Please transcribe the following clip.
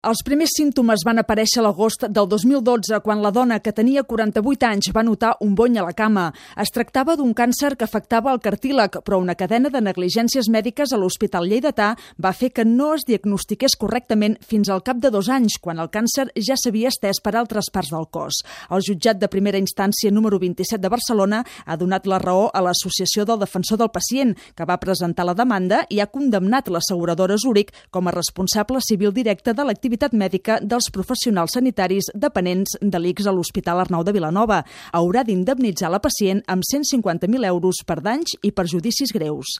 Els primers símptomes van aparèixer a l'agost del 2012, quan la dona, que tenia 48 anys, va notar un bony a la cama. Es tractava d'un càncer que afectava el cartílag, però una cadena de negligències mèdiques a l'Hospital Lleidatà va fer que no es diagnostiqués correctament fins al cap de 2 anys, quan el càncer ja s'havia estès per altres parts del cos. El jutjat de primera instància número 27 de Barcelona ha donat la raó a l'Associació del Defensor del Pacient, que va presentar la demanda i ha condemnat l'asseguradora Zurich com a responsable civil directe de l'activitat mèdica dels professionals sanitaris dependents de l'ICS a l'Hospital Arnau de Vilanova. Haurà d'indemnitzar la pacient amb 150.000 euros per danys i perjudicis greus.